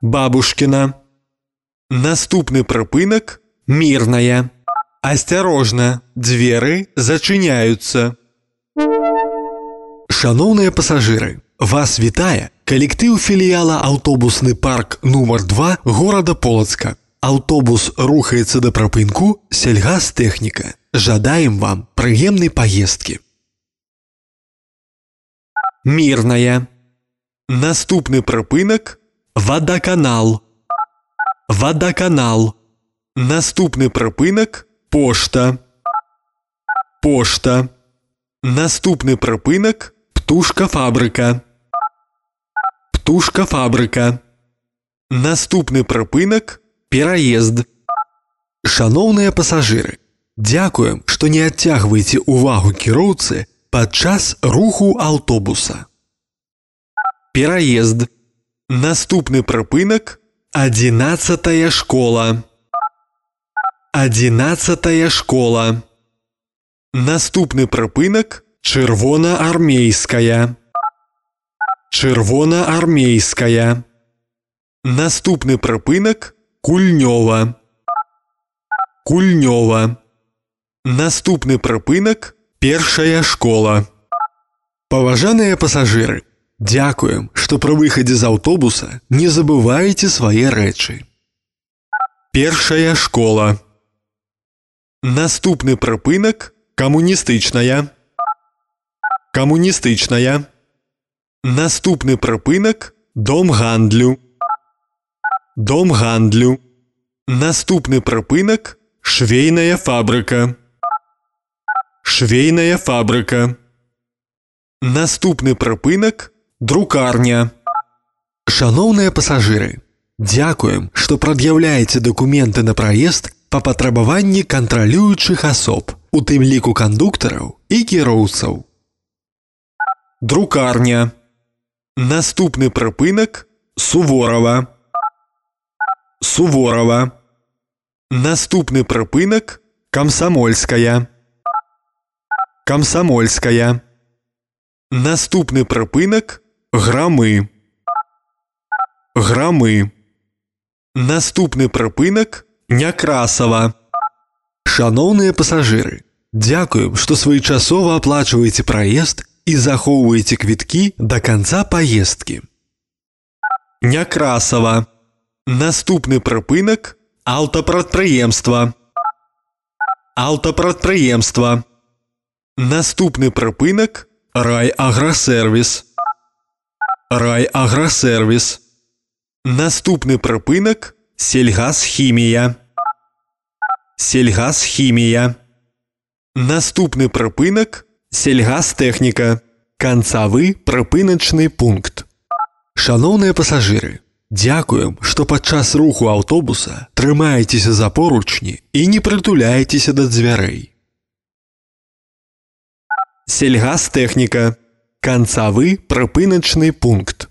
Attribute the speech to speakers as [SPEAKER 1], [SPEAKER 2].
[SPEAKER 1] Бабушкина. Наступны прыпынак – Мирная. Асцярожна, дзверы зачыняюцца. Шаноўныя пасажыры, вас вітае калектыў філіяла аўтобусны парк нумар 2 горада Полацка. Аўтобус рухаецца да прыпынку сельгастэхніка. Жадаем вам прыемнай паездкі. Мирная. Наступны прыпынак – Вадаканал. Вадаканал. Наступны прыпынак – Пошта. Пошта. Наступны прыпынак – Птушкафабрыка. Птушкафабрыка. Наступны прыпынак – Пераезд. Шаноўныя пасажыры, дзякуем, што не адцягваеце ўвагу кіроўцы падчас руху аўтобуса. Пераезд. Наступны прыпынак – 11-я школа. 11-я школа. Наступны прыпынак – Чырвонаармейская. Чырвонаармейская. Наступны прыпынак – Кульнёва. Кульнёва. Наступны прыпынак – Першая школа. Паважаныя пасажыры, дзякуем, што пры выхадзе з аўтобуса не забываеце свае рэчы. Першая школа. Наступны прыпынак – Камуністычная. Камуністычная. Наступны прыпынак – Дом гандлю. Дом гандлю. Наступны прыпынак – Швейная фабрыка. Швейная фабрыка. Наступны прыпынак – Друкарня. Шаноўныя пасажыры, дзякуем, што прад'яўляеце дакументы на праезд па патрабаванні кантралюючых асоб, у тым ліку кандуктараў і кіроўцаў. Друкарня. Наступны прыпынак – Суворава. Суворава. Наступны прыпынак – Камсамольская. Камсамольская. Наступны прыпынак – Грамы. Грамы. Наступны прыпынак – Някрасава. Шаноўныя пасажыры, дзякуем, што своечасова аплачваеце праезд і захоўваеце квіткі да канца паездкі. Някрасава. Наступны прыпынак – Аўтапрадпрыемства. Аўтапрадпрыемства. Наступны прыпынак – Райаграсервіс. Райаграсервіс. Наступны прыпынак – Сельгасхімія. Сельгасхімія. Наступны прыпынак – Сельгастэхніка. Канцавы прыпыначны пункт. Шаноўныя пасажыры, дзякуем, што падчас руху аўтобуса трымаецеся за поручні і не прытуляецеся да дзвярэй. Сельгастэхніка. Канцавы прыпыначны пункт.